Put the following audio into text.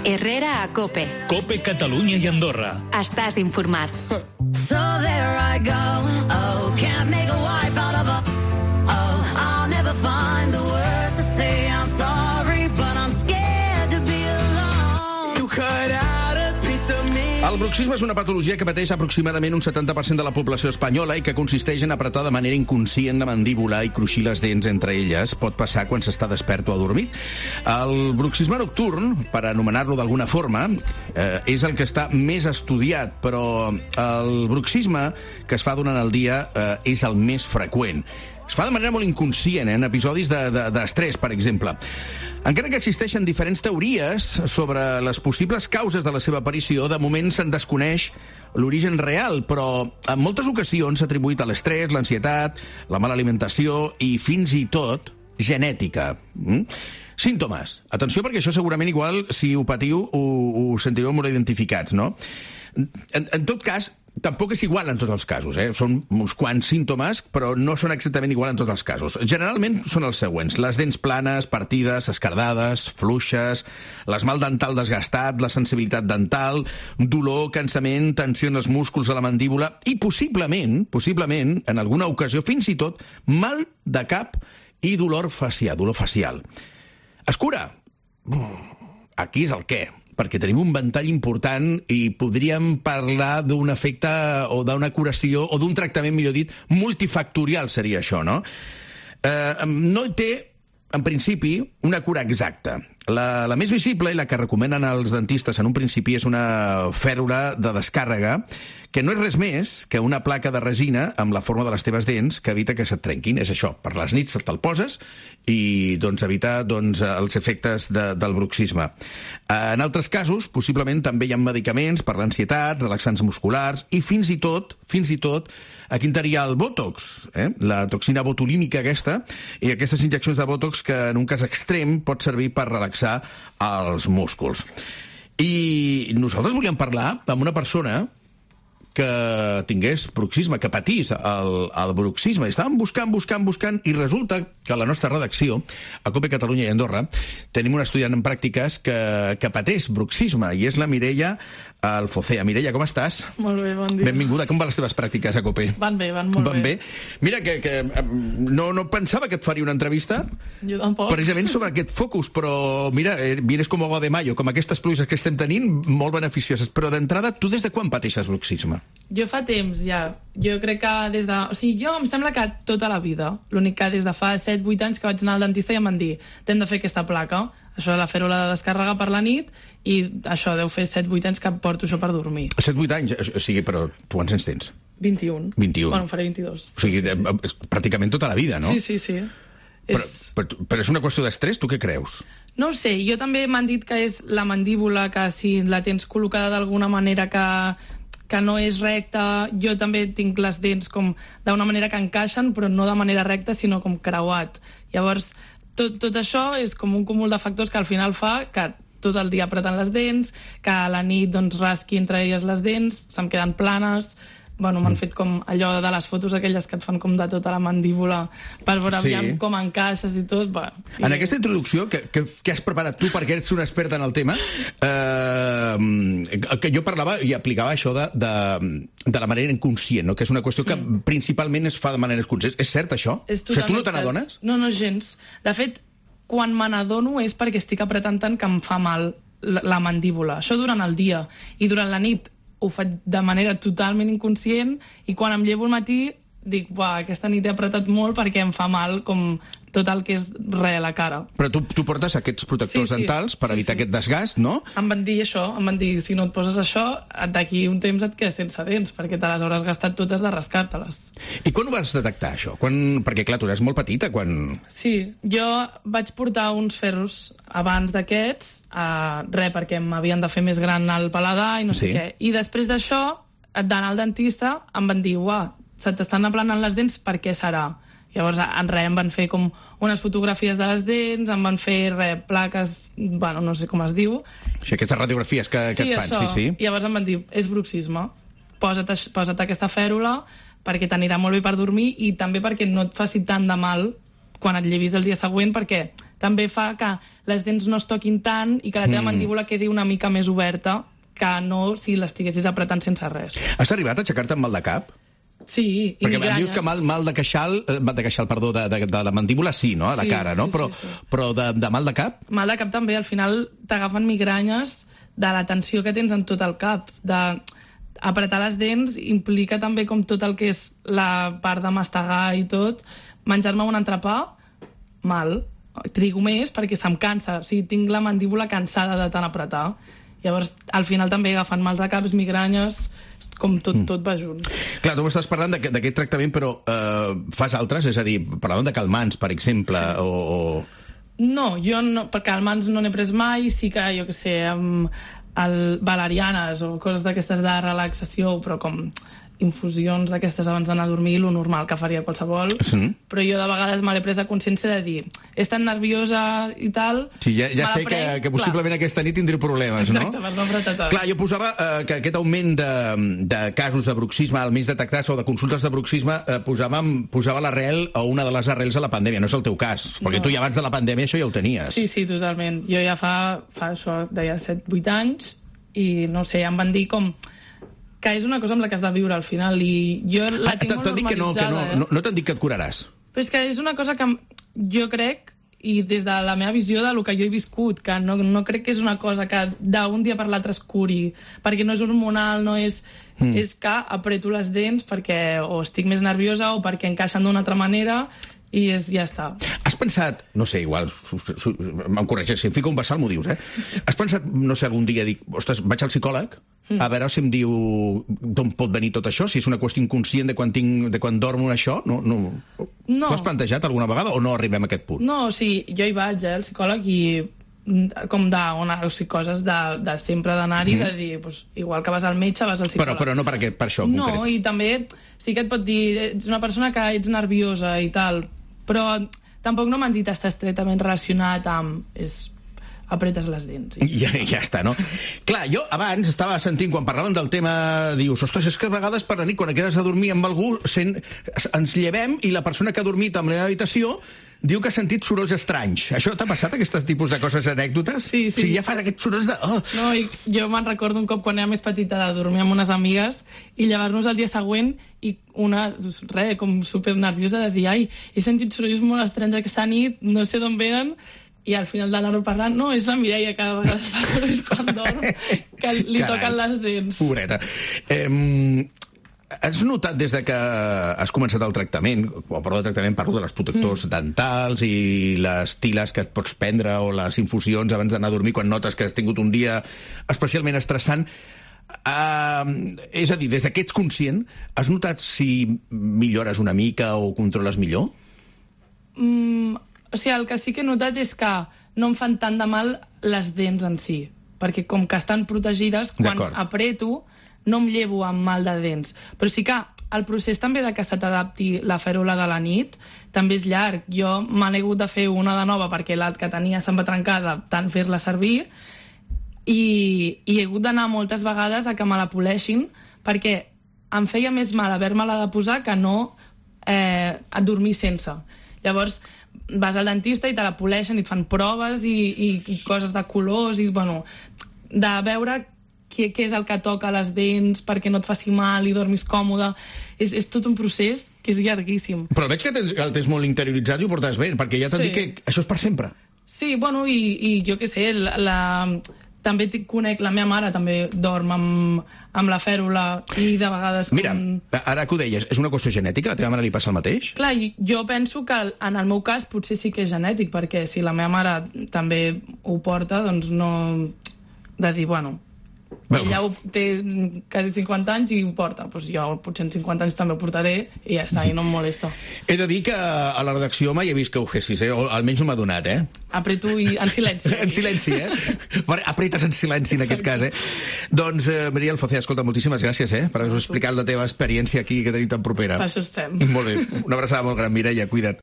Herrera a COPE. COPE Catalunya i Andorra. Estàs informat. So there I go, oh, can't make a wife out of a, oh, I'll never find the words to say I'm sorry, but I'm scared to be alone. You cut out a piece of me. El bruxisme és una patologia que pateix aproximadament un 70% de la població espanyola i que consisteix en apretar de manera inconscient la mandíbula i cruixir les dents entre elles. Pot passar quan s'està despert o adormit. El bruxisme nocturn, per anomenar-lo d'alguna forma, és el que està més estudiat, però el bruxisme que es fa durant el dia és el més freqüent. Es fa de manera molt inconscient, en episodis d'estrès, per exemple. Encara que existeixen diferents teories sobre les possibles causes de la seva aparició, de moment se'n desconeix l'origen real, però en moltes ocasions s'ha atribuït a l'estrès, l'ansietat, la mala alimentació i fins i tot genètica. Símptomes. Atenció, perquè això segurament igual, si ho patiu, ho sentireu molt identificats, no? En tot cas, tampoc és igual en tots els casos, Són uns quants símptomes, però no són exactament igual en tots els casos. Generalment són els següents: les dents planes, partides, esquerdades, fluixes, l'esmalt dental desgastat, la sensibilitat dental, dolor, cansament, tensió en els músculs de la mandíbula i possiblement, en alguna ocasió, fins i tot, mal de cap i dolor facial. Es cura? Aquí és el què, perquè tenim un ventall important i podríem parlar d'un efecte o d'una curació o d'un tractament, millor dit, multifactorial seria això, no? No té, en principi, una cura exacta. La més visible i la que recomenen els dentistes en un principi és una fèrula de descàrrega, que no és res més que una placa de resina amb la forma de les teves dents que evita que se't trenquin. És això, per les nits te'l poses i evita els efectes del bruxisme. En altres casos, possiblement també hi ha medicaments per l'ansietat, relaxants musculars i fins i tot, aquí entraria el Botox, la toxina botulínica aquesta, i aquestes injeccions de Botox que en un cas extrem pot servir per relaxar els músculs. I nosaltres volíem parlar amb una persona que tingués bruxisme, que patís el bruxisme. Estàvem buscant, i resulta que a la nostra redacció, a COPE Catalunya i Andorra, tenim un estudiant en pràctiques que pateix bruxisme, i és la Mireia Alfocea. Mireia, com estàs? Molt bé, bon dia. Benvinguda. Com van les teves pràctiques a COPE? Van molt bé. Mira, que no pensava que et faria una entrevista jo tampoc. Precisament sobre aquest focus, però mira, vienes com agua de mayo, com aquestes pluges que estem tenint, molt beneficioses. Però d'entrada, tu des de quan pateixes bruxisme? Jo fa temps ja. Jo crec que des de... O sigui, jo em sembla que tota la vida. L'únic que des de fa 7-8 anys que vaig anar al dentista i em van dir t'hem de fer aquesta placa, això de la fèrula de descàrrega per la nit, i això deu fer 7-8 anys que porto això per dormir. 7-8 anys? O sigui, però tu quants anys tens? 21. Bueno, faré 22. O sigui, és pràcticament tota la vida, no? Sí. Però és una qüestió d'estrès, tu què creus? No ho sé, jo també m'han dit que és la mandíbula, que si la tens col·locada d'alguna manera que no és recta. Jo també tinc les dents com d'una manera que encaixen, però no de manera recta, sinó com creuat. Llavors, tot això és com un cúmul de factors que al final fa que tot el dia apretant les dents, que a la nit rasqui entre elles les dents, se'm queden planes. Bueno, m'han fet com allò de les fotos aquelles que et fan com de tota la mandíbula per veure com encaixes i tot. En aquesta introducció que has preparat tu, perquè ets una experta en el tema, que jo parlava i aplicava això de la manera inconscient, no? Que és una qüestió que principalment es fa de manera inconscient. És cert, això? O sigui, tu no te n'adones? No, gens. De fet, quan me n'adono és perquè estic apretant tant que em fa mal la mandíbula. Això durant el dia. I durant la nit ho faig de manera totalment inconscient, i quan em llevo al matí dic, aquesta nit he apretat molt perquè em fa mal com tot el que és a la cara. Però tu portes aquests protectors dentals per evitar aquest desgast, no? Em van dir això, si no et poses això, d'aquí un temps et quedes sense dents, perquè te les hauràs gastat totes de rascar-te-les. I quan ho vas detectar, això? Perquè, clar, tu eres molt petita, quan... Sí, jo vaig portar uns ferros abans d'aquests, perquè m'havien de fer més gran el paladar i no sé què. I després d'això, d'anar al dentista, em van dir, se t'estan aplanant les dents, per què serà? Llavors, em van fer com unes fotografies de les dents, em van fer plaques, no sé com es diu. Sí, aquestes radiografies que et fan, sí. Llavors em van dir, és bruxisme, posa't aquesta fèrula perquè t'anirà molt bé per dormir i també perquè no et faci tant de mal quan et llevis el dia següent, perquè també fa que les dents no es toquin tant i que la teva mandíbula quedi una mica més oberta que no si l'estiguessis apretant sense res. Has arribat a aixecar-te amb mal de cap? Sí, i perquè migranyes. dius que mal de queixal, perdó, de la mandíbula sí, no? De cara, no? Però de mal de cap? Mal de cap també, al final t'agafen migranyes de la tensió que tens en tot el cap. Apretar les dents implica també com tot el que és la part de mastegar i tot. Menjar-me un entrepà, mal. Trigo més perquè se'm cansa. O sigui, tinc la mandíbula cansada de tant apretar. Llavors, al final també agafen mals de caps, migranyes, com tot va junt. Clar, tu m'estàs parlant d'aquest tractament, però fas altres? És a dir, parlàvem de calmants, per exemple, o... No, jo no, per calmants no n'he pres mai, sí que, jo què sé, valerianes o coses d'aquestes de relaxació, però com infusions d'aquestes abans d'anar a dormir, lo normal que faria qualsevol, però jo de vegades me l'he pres a consciència de dir, és tan nerviosa i tal... Sí, ja sé que possiblement aquesta nit tindré problemes, no? Exacte, per no apretar tant. Clar, jo posava que aquest augment de casos de bruxisme, almenys detectats, o de consultes de bruxisme, posava l'arrel o una de les arrels a la pandèmia. No és el teu cas, perquè tu ja abans de la pandèmia això ja ho tenies. Sí, totalment. Jo ja fa això, deia 7-8 anys, i no sé, em van dir com... que és una cosa amb la que has de viure al final, i jo la tinc molt normalitzada. No t'han dit que et curaràs. Però és que és una cosa que jo crec, i des de la meva visió del que jo he viscut, que no crec que és una cosa que d'un dia per l'altre es curi, perquè no és hormonal, no és... És que apreto les dents perquè o estic més nerviosa o perquè encaixen d'una altra manera, i ja està. Has pensat, no sé, igual, em corregeix, si em fico un vessal m'ho dius, Has pensat, no sé, algun dia, dic, ostres, vaig al psicòleg, a veure si em diu d'on pot venir tot això, si és una qüestió inconscient de quan dormo això, no. T'ho has plantejat alguna vegada o no arribem a aquest punt? No, o sigui, jo hi vaig, al psicòleg, i com coses de sempre d'anar-hi, de dir, igual que vas al metge, vas al psicòleg. Però no per això en concret. No, i també sí que et pot dir, ets una persona que ets nerviosa i tal, però tampoc no m'han dit està estretament relacionat amb... apretes les dents. Ja està, no? Clar, jo abans estava sentint, quan parlaven del tema, dius, ostres, és que a vegades per la nit, quan et quedes a dormir amb algú, ens llevem i la persona que ha dormit en la meva habitació diu que ha sentit sorolls estranys. Això t'ha passat, aquest tipus de coses, anècdotes? Sí. O sigui, ja fas aquests sorolls de... No, i jo me'n recordo un cop quan era més petita de dormir amb unes amigues i llevar-nos el dia següent i una, com super nerviosa de dir, ai, he sentit sorolls molt estranys aquesta nit, no sé d'on venen, i al final d'anar-ho parlant, no, és la Mireia que a vegades fa sorolls quan dorm, que li toquen les dents. Pobreta. Has notat des de que has començat el tractament, quan parlo de tractament parlo de les protectors dentals i les tiles que et pots prendre o les infusions abans d'anar a dormir quan notes que has tingut un dia especialment estressant, és a dir, des que ets conscient, has notat si millores una mica o controles millor? O sigui, el que sí que he notat és que no em fan tant de mal les dents en si, perquè com que estan protegides, quan apreto no em llevo amb mal de dents. Però sí que el procés també de que se t'adapti la fèrula de la nit també és llarg. Jo me n'he hagut de fer una de nova perquè la que tenia se'm va trencar de tant fer-la servir i he hagut d'anar moltes vegades a que me la poleixin perquè em feia més mal haver-me-la de posar que no dormir sense. Llavors vas al dentista i te la poleixen i et fan proves i coses de colors i, bueno, de veure què és el que toca a les dents perquè no et faci mal i dormis còmode. És tot un procés que és llarguíssim. Però veig que el tens molt interioritzat i ho portes bé, perquè ja t'han dit que això és per sempre. Sí, bueno, i jo què sé, també conec, la meva mare també dorm amb la fèrula i de vegades... Mira, ara que ho deies, és una qüestió genètica? A la teva mare li passa el mateix? Clar, jo penso que en el meu cas potser sí que és genètic, perquè si la meva mare també ho porta, doncs no... de dir, bueno... Ella té quasi 50 anys i ho porta. Doncs jo potser en 50 anys també ho portaré i ja està, i no em molesta. He de dir que a la redacció mai he vist que ho fessis, o almenys no m'ha donat, Apreto en silenci. En silenci, Apretes en silenci, en aquest cas, Doncs, Maria Alfocea, escolta, moltíssimes gràcies, per haver-nos explicat la teva experiència aquí, que tenim tan propera. Per això estem. Molt bé. Una abraçada molt gran, Mireia, cuida't.